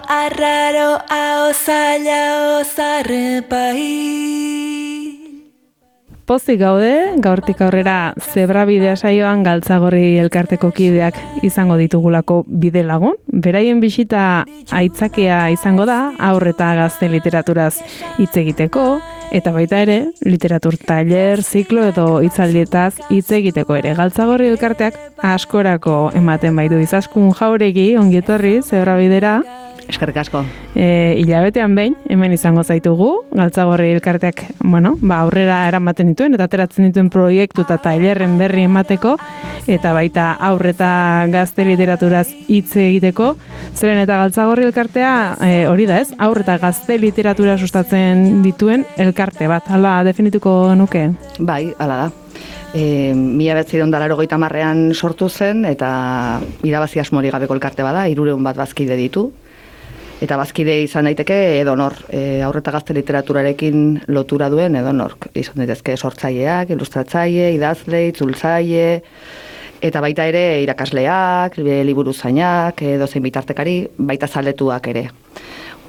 arraro, zaila, zarrepai. Pozik gaude, gaurtik aurrera Zebrabidea saioan Galtzagorri elkarteko kideak izango ditugulako bide lagun. Beraien bisita aitzakia izango da haur eta gazte literaturaz hitz egiteko, eta baita ere, literatur tailer, ziklo edo hitzaldietaz hitz egiteko ere. Galtzagorri elkarteak askorako ematen baitu. Izaskun Jauregi, ongi etorri Zebrabidera. Eskerrik asko. Hilabetean behin, hemen izango zaitugu, Galtzagorri elkarteak, aurrera eramaten dituen, eta ateratzen dituen proiektu eta tailerren berri emateko, eta baita aur eta gazte literaturaz hitz egiteko. Zeren eta Galtzagorri elkartea, hori da ez, aur eta gazte literatura sustatzen dituen elkarte bat, hala definituko nuke? Bai, hala da. 1980an sortu zen, eta irabazi asmori gabeko elkarte bada, 300 bat bazkide ditu. Eta bazkide izan daiteke edonor, haur eta gazte literaturarekin lotura duen edonork. Izan daitezke sortzaileak, ilustratzaile, idazle, itzultzaile, eta baita ere irakasleak, liburuzainak, dozein bitartekari, baita zaletuak ere.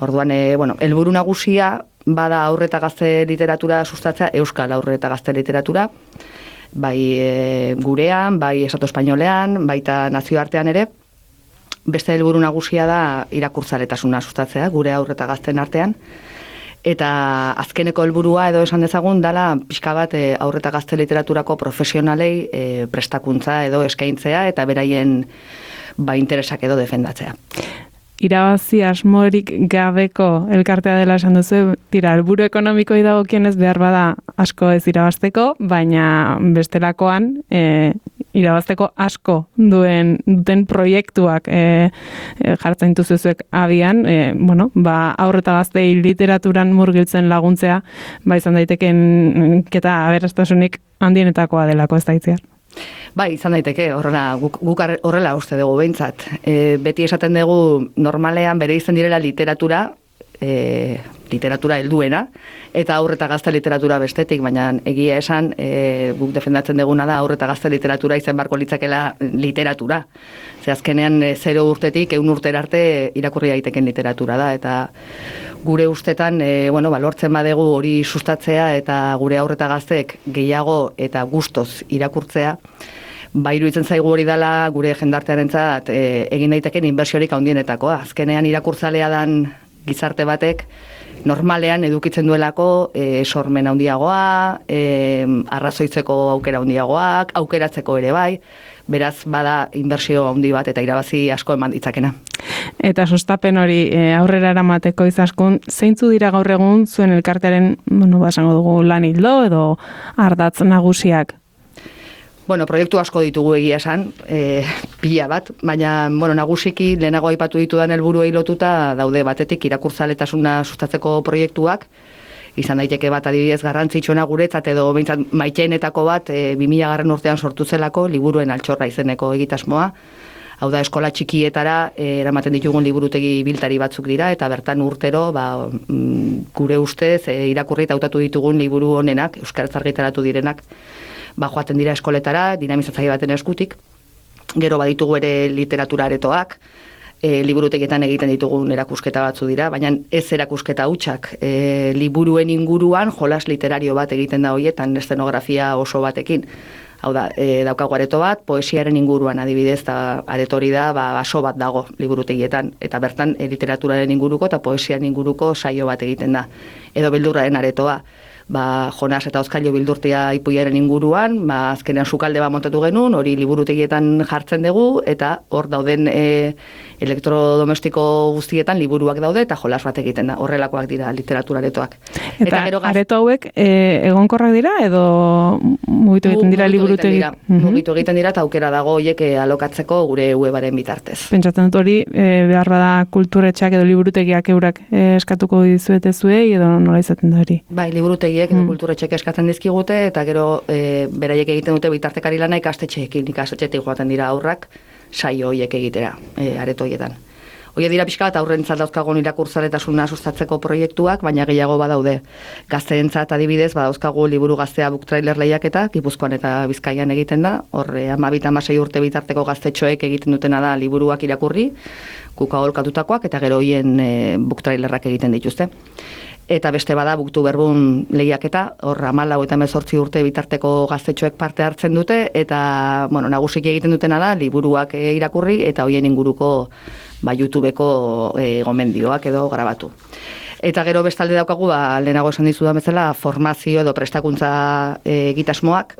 Orduan, helburu nagusia bada haur eta gazte literatura sustatzea, euskal haur eta gazte literatura, bai gurean, bai estatu espainolean, baita nazioartean ere. Beste helburu nagusia da irakurtzaletasuna sustatzea, gure haur eta gazten artean. Eta azkeneko helburua edo esan dezagun dala pixka bat haur eta gazte literaturako profesionalei prestakuntza edo eskaintzea eta beraien interesak edo defendatzea. Irabazi asmorik gabeko elkartea dela esan duzu, helburu ekonomikoi dagokionez behar bada asko ez irabazteko, baina bestelakoan irabazteko asko duten proiektuak jartzen dituzuek abian, haur eta gaztei literaturan murgiltzen laguntzea, izan daiteken keta aberastasunik handienetakoa delako ez da itziar. Bai, izan daiteke, guk horrela uste dugu behintzat. Beti esaten dugu normalean bere izen direla literatura helduena, eta haur eta gazte literatura bestetik, baina egia esan guk defendatzen duguna da haur eta gazte literatura izan barko litzakela literatura. Ze azkenean 0 urtetik 100 urtera arte irakurri daiteken literatura da, eta gure ustetan lortzen badegu hori sustatzea eta gure haur eta gazteek gehiago eta gustoz irakurtzea, iruditzen zaigu hori dela gure jendartearentzat egin daiteken inbertsiorik handienetakoa. Azkenean irakurtzalea dan gizarte batek normalean edukitzen duelako sormen handiagoa, arrazoitzeko aukera handiagoak, aukeratzeko ere bai, beraz bada inbertsio handi bat eta irabazi asko eman ditzakena. Eta sustapen hori aurrera eramateko Izaskun, zeintzu dira gaur egun zuen elkartearen, esango dugu lan ildo edo ardatz nagusiak? Proiektu asko ditugu egia esan, pila bat, baina nagusiki lehenago aipatu ditudan helburuei lotuta daude batetik irakurtzaletasuna sustatzeko proiektuak, izan daiteke bat adibidez garrantzitsuena guretzat edo behintzat maiteenetako bat 2000 urtean sortu zelako liburuen altxorra izeneko egitasmoa. Hau da, eskola txikietara eramaten ditugun liburutegi biltari batzuk dira, eta bertan urtero gure ustez irakurri eta hautatu ditugun liburu honenak, euskaraz argitaratu direnak, joaten dira eskoletara, dinamizatzaile baten eskutik. Gero baditugu ere literatura aretoak, liburutegietan egiten ditugun erakusketa batzu dira, baina ez erakusketa hutsak. Liburuen inguruan jolas literario bat egiten da horietan, eszenografia oso batekin. Hau da, daukagu areto bat, poesiaren inguruan adibidez, eta aretori da, baso bat dago liburutegietan, eta bertan literaturaren inguruko eta poesiaren inguruko saio bat egiten da. Edo beldurraren aretoa. Jonas eta Oskailu bildurtia ipuiaren inguruan, azkenean sukalde bat montatu genuen, hori liburutegietan jartzen dugu, eta hor dauden elektrodomestiko guztietan liburuak daude, eta jolas bat egiten da, horrelakoak dira literatura aretoak. Eta areto hauek egonkorrak dira, edo mugitu egiten dira liburutegietan? Mugitu egiten dira, eta aukera dago horiek alokatzeko gure webaren bitartez. Pentsatzen dut hori, behar bada kulturetxeak edo liburutegiak eurak eskatuko dizuete zuei, edo nola izaten da hori? Bai, liburutegiek edo kulturetxeak eskatzen dizkigute, eta gero beraiek egiten dute bitartekari lana ikastetxeekin joaten dira aurrak saio horiek egitera, areto horietan. Hoi dira pixka bat aurrentzat dauzkagun irakurtzaletasuna sustatzeko proiektuak, baina gehiago badaude. Gazteentzat adibidez, badauzkagu liburu gaztea book trailer lehiaketa, Gipuzkoan eta Bizkaian egiten da, horre 12-16 urte bitarteko gaztetxoek egiten dutena da liburuak irakurri, kuka holkatutakoak, eta gero hoien book trailerrak egiten dituzte. Eta beste bada Booktuberbun lehiaketa, hor 14 eta 18 urte bitarteko gaztetxoek parte hartzen dute, eta nagusiki egiten dutena da liburuak irakurri eta hoien inguruko YouTubeko gomendioak edo grabatu. Eta gero bestalde daukagu, lehenago esan dizudan bezala, formazio edo prestakuntza egitasmoak,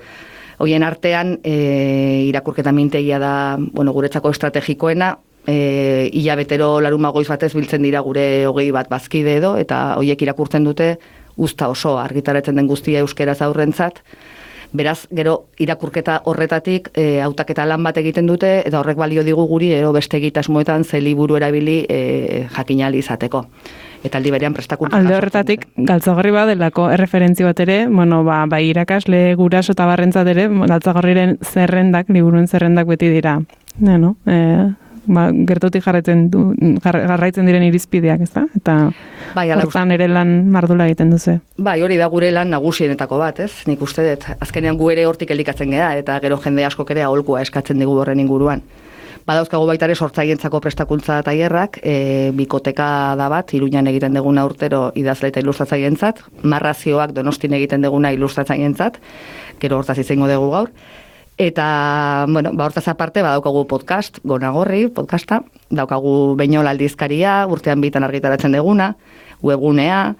hoien artean irakurketa mintegia da guretzako estrategikoena, hilabetero larun goiz batez biltzen dira gure 20 bat bazkide edo, eta hoiek irakurtzen dute uzta oso argitaratzen den guztia euskeraz aurrentzat. Beraz, gero irakurketa horretatik hautaketa lan bat egiten dute, eta horrek balio digu guri beste egitasmoetan ze liburu erabili jakinali izateko. Eta aldi berean prestakuntza. Alde horretatik, Galtzagorri badelako erreferentzia bat ere, bai irakasle guraso eta barrentzat ere, Galtzagorriren zerrendak, liburuen zerrendak beti dira. Gertutik jarraitzen diren irizpideak, ez da? Eta hortan ere lan mardula egiten duzu. Bai, hori da gure lan nagusienetako bat, ez? Nik uste dut, azkenean gu ere hortik elikatzen gea, eta gero jende askok ere aholkua eskatzen digu horren inguruan. Badauzkagu baita ere sortzaientzako prestakuntza tailerrak, bikoteka da bat, Iruñan egiten deguna urtero idazle eta ilustratzaientzat, Marrazioak Donostin egiten deguna ilustratzaientzat, gero hortaz izango dugu gaur. Eta, hortaz aparte, badaukagu podcast, Gonagorri podcasta, daukagu Beñol aldizkaria, urtean bitan argitaratzen deguna, webgunea,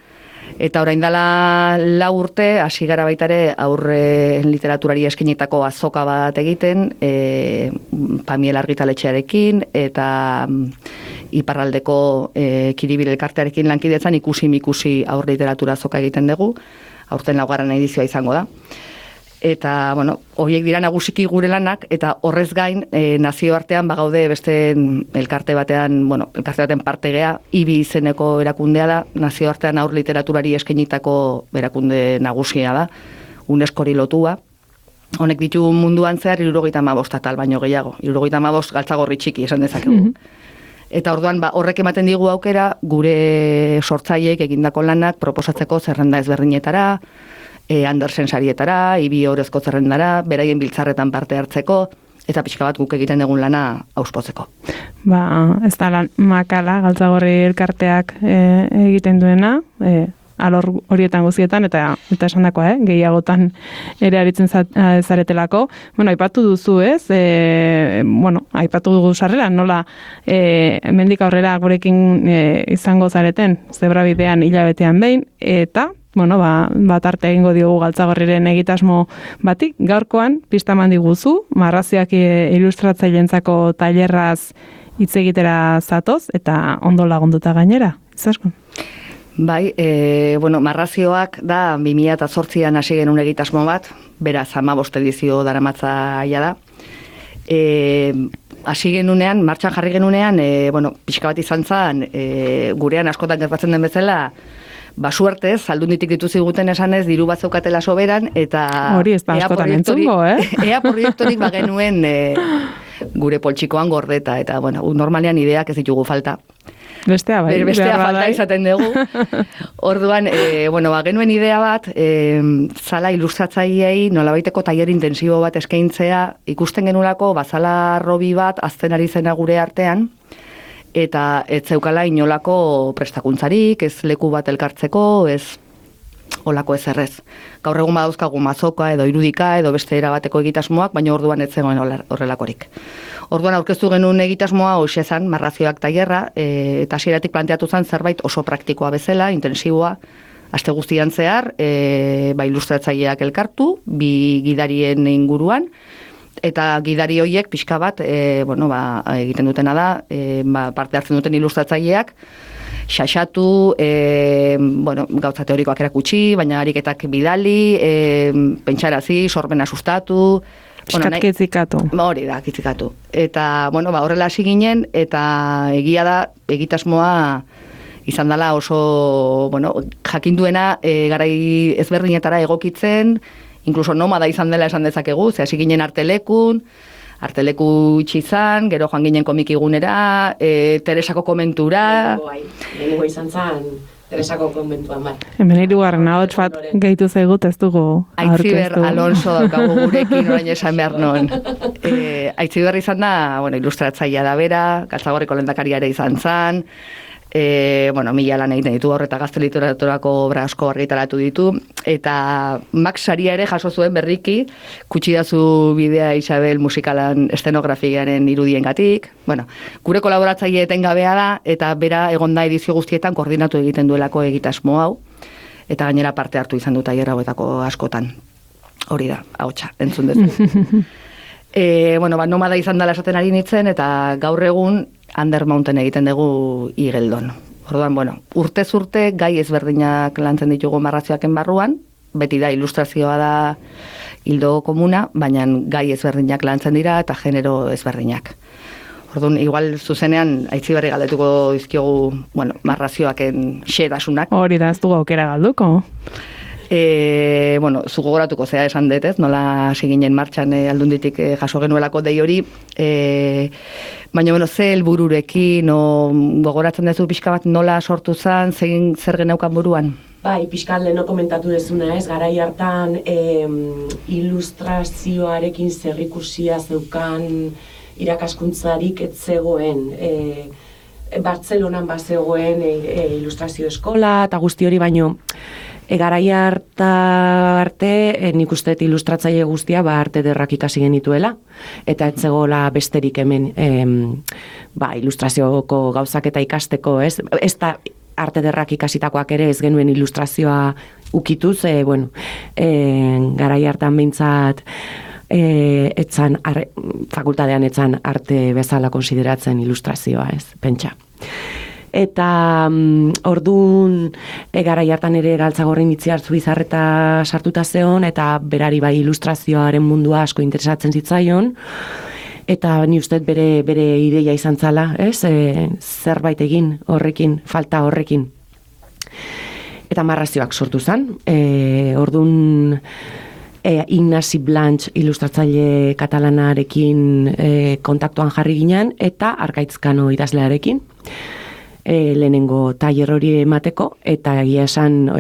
eta orain dela 4 urte, hasi gara baita ere aurre literaturari eskinitako azoka bat egiten, Pamiel argitaletxearekin, eta iparraldeko Kiribil elkartearekin lankidetzan ikusi aur literatura azoka egiten dugu, aurten 4. edizioa izango da. Eta, horiek dira nagusiki gure lanak, eta horrez gain, nazioartean bagaude beste elkarte batean parte gea, IBI izeneko erakundea da, nazioartean aur literaturari eskenitako erakunde nagusia da, UNESCO-ri lotua. Honek ditu munduan zehar 75 atal baino gehiago, 75 Galtzagorri txiki esan dezakegu. Eta orduan, horrek ematen digu aukera, gure sortzaileek egindako lanak proposatzeko zerrenda ezberdinetara, Andersen sarietara, IBI orezko zerrendara, beraien biltzarretan parte hartzeko, eta pixka bat guk egiten egun lana auspotzeko. Ez da lan makala, Galtzagorri elkarteak egiten duena, alor horietan guztietan, eta esan dakoa, gehiagotan ere aritzen zaretelako. Aipatu duzu ez, aipatu dugu sarrera, nola hemendik aurrera gurekin izango zareten, zebrabidean hilabetean behin, eta tarte egingo diogu Galtzagorriren egitasmo bati. Gaurkoan, pista eman diguzu, Marrazioak ilustratzaileentzako tailerraz hitz egitera zatoz, eta ondo lagunduta gainera. Izaskun? Bai, Marrazioak da 2008an hasi genuen egitasmo bat, beraz 15 edizio daramatza da. Hasi genunean, martxan jarri genunean, pixka bat izan zen, gurean askotan gertatzen den bezala, suertez, aldunditik dituziguten esanez, diru bat zeukatela soberan, eta hori ez da askotan entzungo, ea proiektorik bagenuen gure poltsikoan gordeta, eta normalean ideak ez ditugu falta. Bestea falta izaten dugu. Orduan, genuen idea bat, zala ilustratzaileei nolabaiteko tailer intensibo bat eskaintzea, ikusten genulako, bazala robi bat, azten ari zena gure artean, eta ez zeukala inolako prestakuntzarik, ez leku bat elkartzeko, ez olako ez errez. Gaur egun badauzkagu mazoka edo irudika edo beste erabateko egitasmoak, baina orduan ez zegoen horrelakorik. Orduan aurkeztu genuen egitasmoa hoxe zan, Marrazioak tailerra, eta hasieratik planteatu zen zerbait oso praktikoa bezala, intensiboa, aste guztian zehar, ilustratzaileak elkartu, 2 gidarien inguruan, eta gidari horiek pixka bat, egiten dutena da, parte hartzen duten ilustratzaileak, xaxatu, gauza teorikoak erakutsi, baina ariketak bidali, pentsarazi, sorbena sustatu, Piskat kitzikatu. Hori da, kitzikatu. Eta, horrela hasi ginen, eta egia da, egitasmoa izan dela oso, jakinduena garai ezberdinetara egokitzen, inkluso nomada izan dela esan dezakegu, ze hasi ginen artelekun, Arteleku itxi izan, gero joan ginen komikigunera, Teresako komentura. Lehenengo izan zen Teresako konbentuan, bai. Hemen hirugarren ahots bat gehitu zaigut ez dugu Aitziber aurkeztu. Alonso daukagu gurekin orain esan behar non. Aitziber izan da, ilustratzailea da bera, Gatzagorriko lehendakaria ere izan zen, mila lan egiten ditu horreta gazte literaturako obra asko argitaratu ditu, eta Max saria ere jaso zuen berriki, Kutsidazu bidea Isabel musikalan estenografiaren irudiengatik. Gure kolaboratzaile etengabea da, eta bera egon da edizio guztietan koordinatu egiten duelako egitasmo hau, eta gainera parte hartu izan dut tailer hauetako askotan. Hori da, ahotsa, entzun dezu. Nomada izan dela esaten ari nintzen, eta gaur egun Under Mountain egiten dugu Igeldon. Orduan, urtez urte gai ezberdinak lantzen ditugu narrazioaken barruan, beti da ilustrazioa da hildo komuna, baina gai ezberdinak lantzen dira eta genero ezberdinak. Orduan, igual zuzenean Aitziberri galdetuko dizkiogu, narrazioaken xedasunak. Hori da, ez dugu aukera galduko. Zu gogoratuko zea esan dut, ez? Nola hasi ginen martxan Aldunditik jaso genuelako dei hori. Baina, ze helbururekin, gogoratzen duzu pixka bat nola sortu zen, zer geneukan buruan? Bai, pixka leheno komentatu dezuna, ez? Garai hartan ilustrazioarekin zerrikusia zeukan irakaskuntzarik ez zegoen. Bartzelonan bazegoen ilustrazio eskola eta guzti hori, baino garai arte nik uste ilustratzaile guztia arte ederrak ikasi genituela, eta ez zegoela besterik hemen ilustrazioko gauzak eta ikasteko, ez da arte ederrak ikasitakoak ere ez genuen ilustrazioa ukituz, garai hartan behintzat fakultatean etzan arte bezala konsideratzen ilustrazioa, ez, pentsa. Eta orduan garai hartan ere Galtzagorrin Itziartzu Bizarreta sartuta zeon, eta berari bai ilustrazioaren mundua asko interesatzen zitzaion, eta ni uste bere ideia izan zala, ez, zerbait egin horrekin, falta horrekin. Eta narrazioak sortu zen, orduan Ignasi Blanch ilustratzaile katalanarekin kontaktuan jarri ginen, eta Arkaitzkano idazlearekin. Lehenengo tailer hori emateko, eta egia esan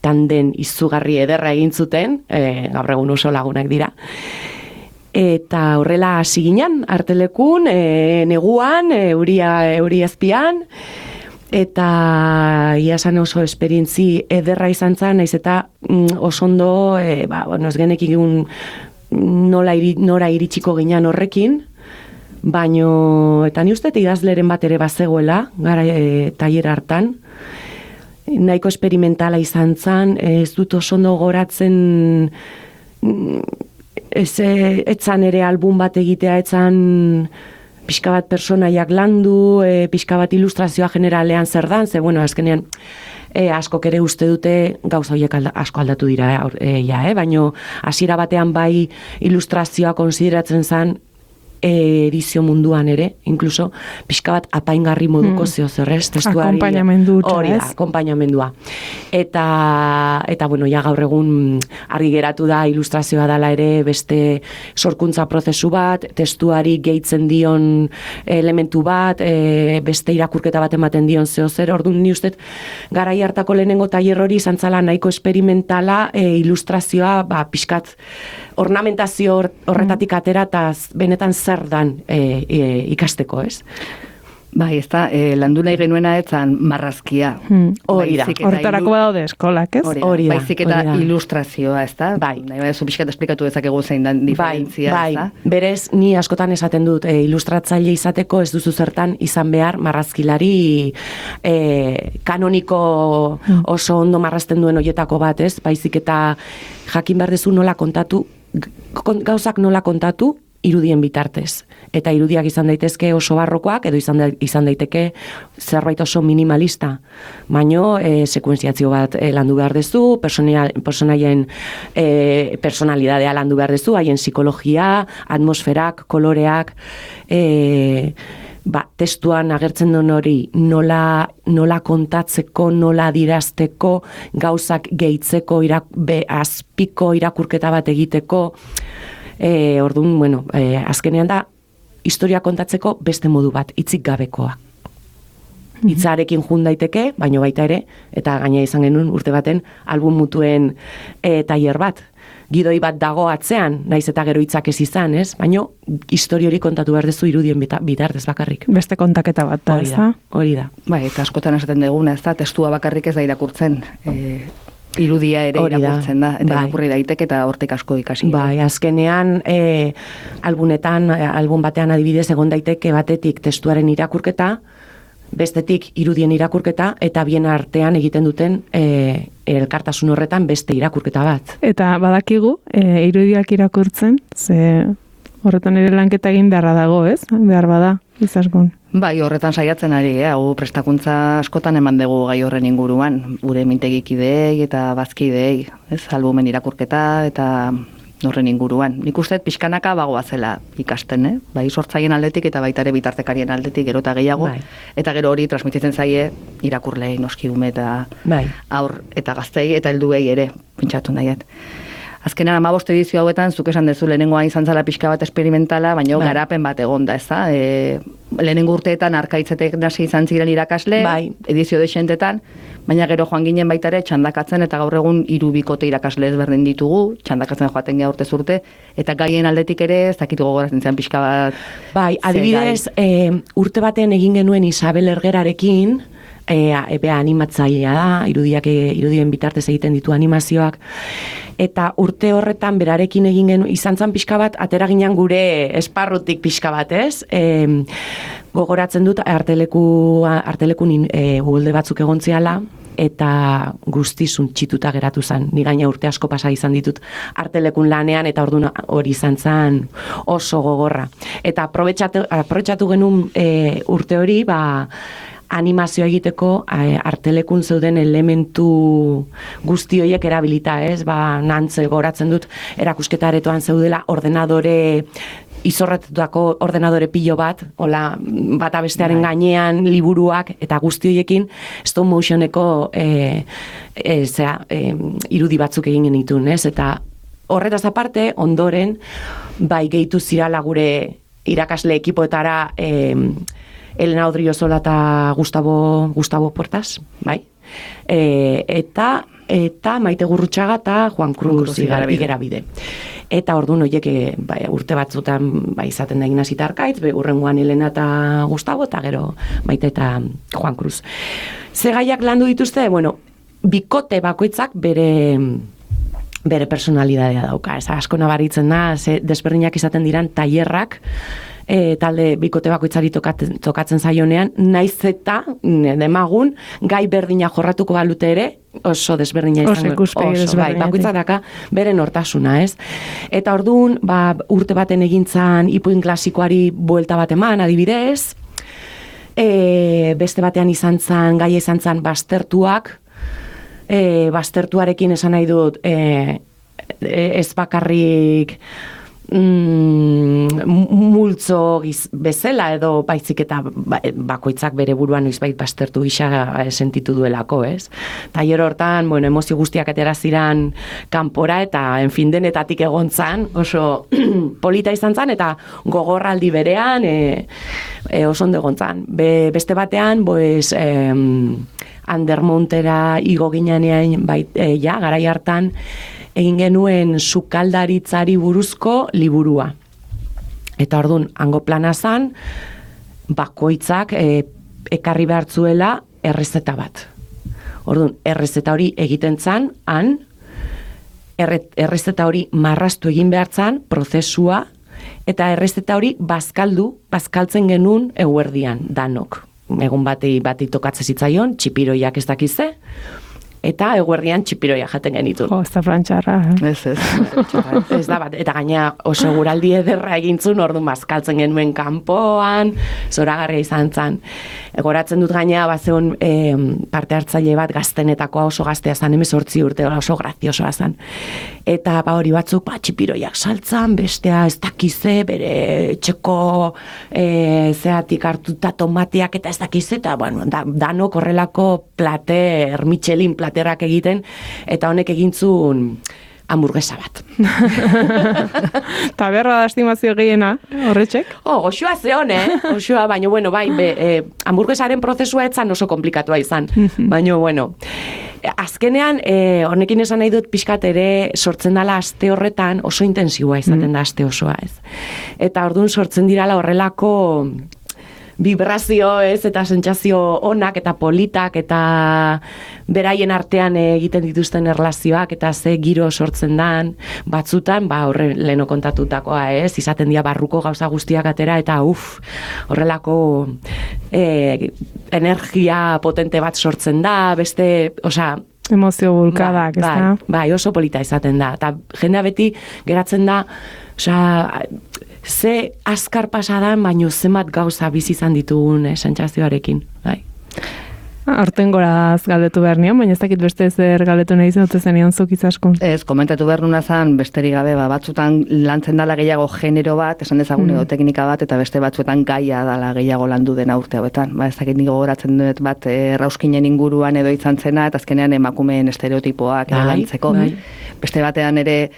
tanden izugarri ederra egin zuten, gaur egun oso lagunak dira. Eta horrela hasi ginen, artelekun, neguan, euri azpian, eta egia esan oso esperientzi ederra izan zen, naiz eta oso ondo, ez genekin nora iritsiko ginen horrekin, baino, eta ni uste idazleren bat ere bazegoela, gara tailer hartan, nahiko esperimentala izan zen, ez dut oso ondo goratzen, etzan ere album bat egitea, etzan pixka bat personaiak landu, pixka bat ilustrazioa generalean zer dan, azkenean askok ere uste dute gauza horiek asko aldatu dira, baino hasiera batean bai ilustrazioa konsideratzen zen edizio munduan ere, inkluso pixka bat apaingarri moduko zeozerrez, testuari. Akompainamendu utza, hori da, akompainamendua. Eta gaur egun argi geratu da ilustrazioa dela ere beste sorkuntza prozesu bat, testuari gehitzen dion elementu bat, beste irakurketa bat ematen dion zeozer, orduan ni uste garai hartako lehenengo tailer hori izan zala nahiko esperimentala ilustrazioa pixkat ornamentazio horretatik atera eta benetan zer dan ikasteko, ez? Bai, ez da, landu nahi genuena etzan marrazkia. Hori da, horretarako badaude eskolak, ez? Hori da, baizik eta ilustrazioa, ez da? Bai. Nahi badezu pixkat esplikatu dezakegu zein dan diferentzia, ez da? Bai, berez, ni askotan esaten dut, ilustratzaile izateko ez duzu zertan izan behar marrazkilari kanoniko oso ondo marrazten duen hoietako bat, ez? Baizik eta jakin behar dezu nola kontatu, gauzak nola kontatu, irudien bitartez. Eta irudiak izan daitezke oso barrokoak, edo izan daiteke zerbait oso minimalista. Baino, sekuentziazio bat landu behar dezu, personaien personalidadea landu behar dezu, haien psikologia, atmosferak, koloreak, testuan agertzen duen hori nola kontatzeko, nola adirazteko, gauzak gehitzeko, azpiko irakurketa bat egiteko, Orduan, bueno, azkenean da, historia kontatzeko beste modu bat, hitzik gabekoa. Hitzarekin jun daiteke, baino baita ere, eta gaina izan genuen urte baten album mutuen tailer bat. Gidoi bat dago atzean, naiz eta gero hitzak ez izan, ez? Baino, histori hori kontatu behar dezu irudien bitartez bakarrik. Beste kontaketa bat da, ez da? Hori da. Bai, eta askotan esaten duguna, ez da, testua bakarrik ez da irakurtzen. Irudia ere irakurtzen da, eta irakurri daiteke eta hortik asko ikasi. Bai, azkenean album batean adibidez egon daiteke batetik testuaren irakurketa, bestetik irudien irakurketa, eta bien artean egiten duten elkartasun horretan beste irakurketa bat. Eta badakigu, irudiak irakurtzen, ze horretan ere lanketa egin beharra dago, ez? Behar bada, izaskun. Bai, horretan saiatzen ari, hau prestakuntza askotan eman dugu gai horren inguruan, gure mintegikideei eta bazkideei, ez? Albumen irakurketa eta horren inguruan. Nik uste pixkanaka bagoazela ikasten, bai sortzaien aldetik eta baita ere bitartekarien aldetik gero eta gehiago, eta gero hori transmititzen zaie irakurlei, noski ume eta aur eta gaztei eta helduei ere, pentsatu nahiet. Azkenan 15 edizio hauetan, zuk esan dezu lehenengoa izan zala pixka bat esperimentala, baina garapen bat egonda, ez da? Lehenengo urteetan arkaitzetek nasi izan ziren irakasle, edizio dexentetan, baina gero joan ginen baita ere txandakatzen, eta gaur egun 3 bikote irakasle ezberdin ditugu, txandakatzen joaten geha urtez urte, eta gaien aldetik ere, ez dakitu gogoratzen zen pixka bat. Bai, adibidez, urte baten egin genuen Isabel Ergerarekin, animatzailea da, irudien bitartez egiten ditu animazioak, eta urte horretan berarekin egin genuen, izan zan pixka bat, atera ginen gure esparrutik pixka bat, ez? Gogoratzen dut, artelekun ugolde batzuk egon ziala, eta guztizun txituta geratu zen. Ni gaina urte asko pasa izan ditut artelekun lanean, eta orduan hori izan zen oso gogorra. Eta aprobetxatu genuen urte hori, animazioa egiteko artelekun zeuden elementu guzti horiek erabilita, ez? Nantze goratzen dut erakusketa aretoan zeudela izorratutako ordenadore pilo bat, hola, bata bestearen gainean liburuak eta guzti horiekin stop motioneko irudi batzuk egin genitun, ez? Eta horretaz aparte, ondoren, bai gehitu zirala gure irakasle ekipoetara Elena Odriozola eta Gustavo Portas, bai? Eta Maite Gurrutxaga eta Juan Cruz Igerabide. Eta orduan horiek urte batzutan izaten da Ignazi Arkaitz, hurrengoan Elena eta Gustavo, eta gero Maite eta Juan Cruz. Ze gaiak landu dituzte, bueno, bikote bakoitzak bere personalidadea dauka. Ez asko nabaritzen da, desberdinak izaten diran tailerrak, talde bikote bakoitzari tokatzen zaionean, naiz eta demagun gai berdina jorratuko balute ere, oso desberdina izango. Bakoitzak daka bere nortasuna, ez? Eta orduan, urte baten egintzan ipuin klasikoari buelta bat eman, adibidez, beste batean gaia izan zan baztertuak, baztertuarekin esan nahi dut ez bakarrik multzo bezala edo baizik eta bakoitzak bere buruan noizbait baztertu gisa sentitu duelako, ez? Tailer hortan, emozio guztiak atera ziran kanpora eta denetatik egon zan, oso polita izan zan eta gogorraldi berean oso ondo egon zan. Beste batean, Andermontera igo ginean garai hartan egin genuen sukaldaritzari buruzko liburua. Eta orduan, hango plana zan, bakoitzak ekarri behartzuela errezeta bat. Orduan, errezeta hori egiten zan, errezeta hori marraztu egin behar zan, prozesua, eta errezeta hori bazkaltzen genuen eguerdian, danok. Egun bati tokatzen zitzaion, txipiroiak ez dakize, eta eguerdian txipiroia jaten genitu. Ez da frantxarra. Ez da bat, eta gaina oso guraldi ederra egintzun, orduan bazkaltzen genuen kanpoan, zoragarria izan zan. Goratzen dut gaina, bazeon parte hartzaile bat gaztenetakoa oso gaztea zan, 18 urte oso graziosoa zan. Eta hori batzuk, txipiroiak saltzan, bestea ez dakize, bere txeko zeatik hartuta tomateak eta ez dakize, eta danok horrelako plater, Michelin platerrak egiten, eta honek egintzun hamburguesa bat. Ta berra da estimazio gehiena, horretxek? Goxua zeon, Goxua, baina, bueno, bai, hamburguesaren prozesua etzan oso komplikatua izan. Baina, bueno, azkenean, honekin esan nahi dut pixkat ere sortzen dala aste horretan oso intensiboa izaten da aste osoa, ez. Eta orduan sortzen dirala horrelako vibrazio, ez, eta sentsazio onak eta politak eta beraien artean egiten dituzten erlazioak eta ze giro sortzen dan, batzutan, horre leno kontatutakoa, ez, izaten dira barruko gauza guztiak atera eta horrelako energia potente bat sortzen da, beste, emozio bulkadak, ez da? Bai, oso polita izaten da, eta jendea beti geratzen da, ze azkar pasadan, baino zenbat gauza bizi izan ditugun sentsazioarekin, bai. Horten goraz galdetu behar nion, baina ez dakit beste zer galdetu nahi zen, zenion zuk izaskun. Ez, komentatu behar nuna zan, besterik gabe, batzutan lantzen dala gehiago genero bat, esan dezagun edo teknika bat, eta beste batzuetan gaia dala gehiago landu dena urte hauetan. Ez dakit nigo goratzen dut bat Rauskinen inguruan edo izan zena, eta azkenean emakumeen estereotipoak edo lantzeko. Beste batean ere,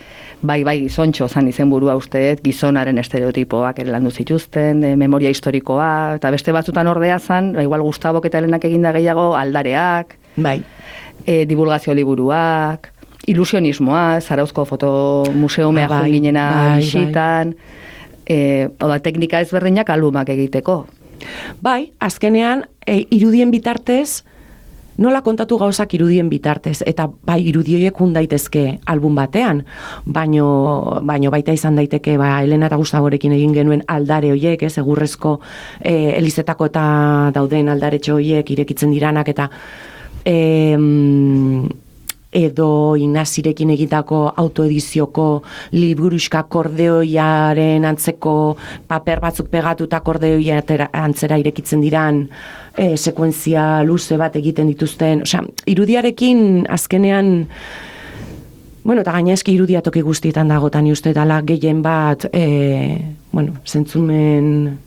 bai, gizontxo zan izenburua usteet, gizonaren estereotipoak ere landu zituzten, memoria historikoa, eta beste batzutan ordea zan, igual Gustavok eta Helenak eginda gehiago aldareak, divulgazio liburuak, ilusionismoa, Zarauzko fotomuseumea joan ginena bisitan, teknika ezberdinak albumak egiteko. Bai, azkenean, irudien bitartez, nola kontatu gauzak irudien bitartez, eta bai irudioiek daitezke album batean, baino baita izan daiteke Helena eta Gustavorekin egin genuen aldare hoiek, egurrezko elizetako eta dauden aldaretxo hoiek irekitzen diranak, eta edo Inazirekin egitako autoedizioko liburuxka kordeoiaren antzeko paper batzuk pegatuta kordeoia antzera irekitzen diran sekuentzia luze bat egiten dituzten, irudiarekin azkenean, eta gaina eski irudia toki guztietan dagotan uste dala gehien bat, zentzumen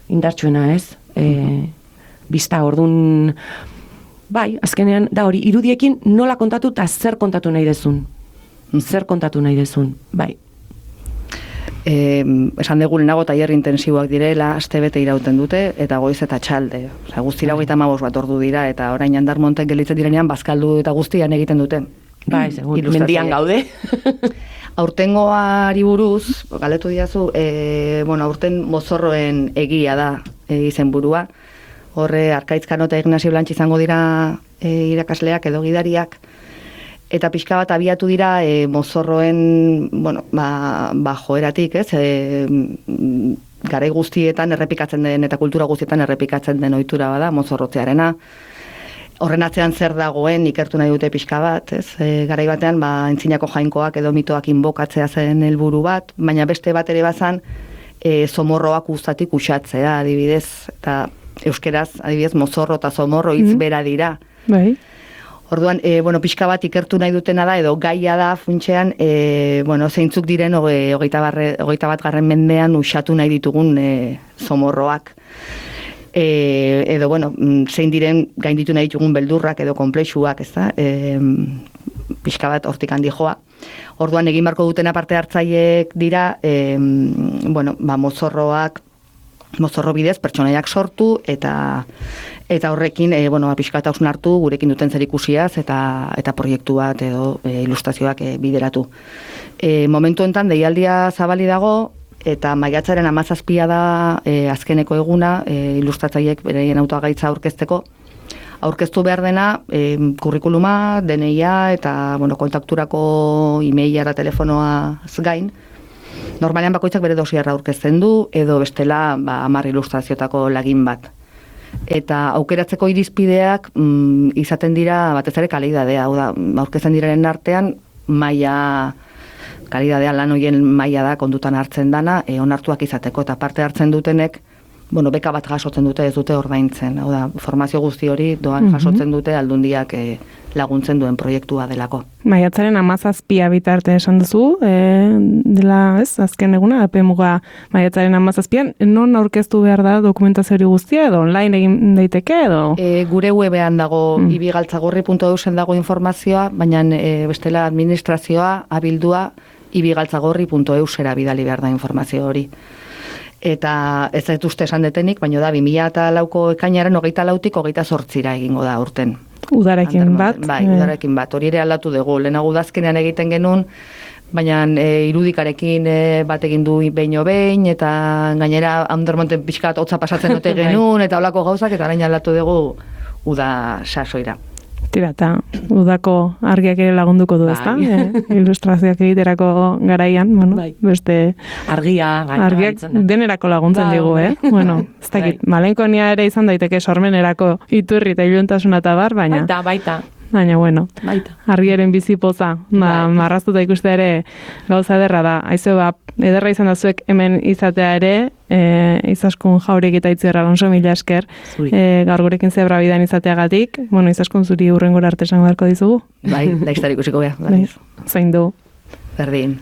indartsuena, ez? Bista, ordun, bai, azkenean, da hori, irudiekin nola kontatu eta zer kontatu nahi dezun. Zer kontatu nahi dezun, bai. Esan dugu lehenago tailer intensiboak direla, astebete irauten dute, eta goiz eta txalde. Guztira 35 bat ordu dira, eta orain Andarmontek gelitzen direnean, bazkaldu eta guztian egiten dute. Bai, segun, mendian gaude. Aurtengoari buruz, galetu diazu, aurten mozorroen egia da izenburua. Horre, Arkaitzkano eta Ignazio Blantx izango dira irakasleak edo gidariak, eta pixka bat abiatu dira mozorroen, joeratik, ez? Garai guztietan errepikatzen den eta kultura guztietan errepikatzen den ohitura bada, mozorrotzearena. Horren atzean zer dagoen ikertu nahi dute pixka bat, ez? Garai batean, entzinako jainkoak edo mitoak inbokatzea zen helburu bat, baina beste bat ere bazan, zomorroak uztatik uxatzea, adibidez, eta euskeraz, adibidez, mozorro eta zomorro hitz bera dira. Bai. Orduan, pixka bat ikertu nahi dutena da, edo gaia da funtsean, zeintzuk diren 21. mendean uxatu nahi ditugun zomorroak. Edo, zein diren gainditu nahi ditugun beldurrak edo konplexuak, ez da? Pixka bat hortik handi joa. Orduan, egin barko dutena parte hartzaileek dira, mozorro bidez pertsonaiak sortu eta horrekin pixka bat hausnartu gurekin duten zerikusiaz eta proiektu bat edo ilustrazioak bideratu. Momentu enten deialdia zabali dago eta maiatzaren 17 da azkeneko eguna ilustratzaileek beraien autogaitza aurkezteko. Aurkeztu behar dena kurrikuluma, DNIa eta kontakturako e-maila telefonoaz gain. Normalean bakoitzak bere dosiarra aurkezten du, edo bestela 10 ilustrazioetako lagin bat. Eta aukeratzeko irizpideak izaten dira batez ere kalidadea, hau da, aurkezten direnen artean kalidadea lan hoien maila da kondutan hartzen dana, onartuak izateko, eta parte hartzen dutenek beka bat jasotzen dute, ez dute ordaintzen. Hau da, formazio guzti hori doan jasotzen dute Aldundiak laguntzen duen proiektua delako. Maiatzaren 17 bitarte esan duzu, dela, ez, azken eguna, epemuga maiatzaren 17an, non aurkeztu behar da dokumentazio hori guztia, edo online egin daiteke, edo? Gure webean dago, ibigaltzagorri.eusen dago informazioa, baina bestela administrazioa, abildua, ibigaltzagorri.eusera bidali behar da informazio hori. Eta ez dut uste esan detenik, baina da, 2004ko ekainaren 24tik 28ra egingo da urten. Udarekin bat? Bai, udarekin bat. Hori ere aldatu dugu. Lehenago udazkenean egiten genuen, baina irudikarekin bat egin du behin, eta gainera Andermonten pixkat hotza pasatzen dute genuen, eta holako gauzak, eta orain aldatu dugu uda sasoira. Tira, eta udako argiak ere lagunduko du, ezta? Ilustrazioak egiterako garaian, beste... Argiak denerako laguntzen digu, Bueno, ez dakit, malenkonia ere izan daiteke sormenerako iturri eta iluntasuna eta bar, baina... Baita. Baina, bueno, argiaren bizipoza, marraztuta ikuste ere gauza ederra da. Aizu, ederra izan da zuek hemen izatea ere, Izaskun Jauregui eta Itziar Alonso, mila esker, gaur gurekin zebra bidan izateagatik. Bueno, Izaskun zuri hurrengora arte esango beharko dizugu. Bai, laiztar ikusiko beha. Zain du. Berdin.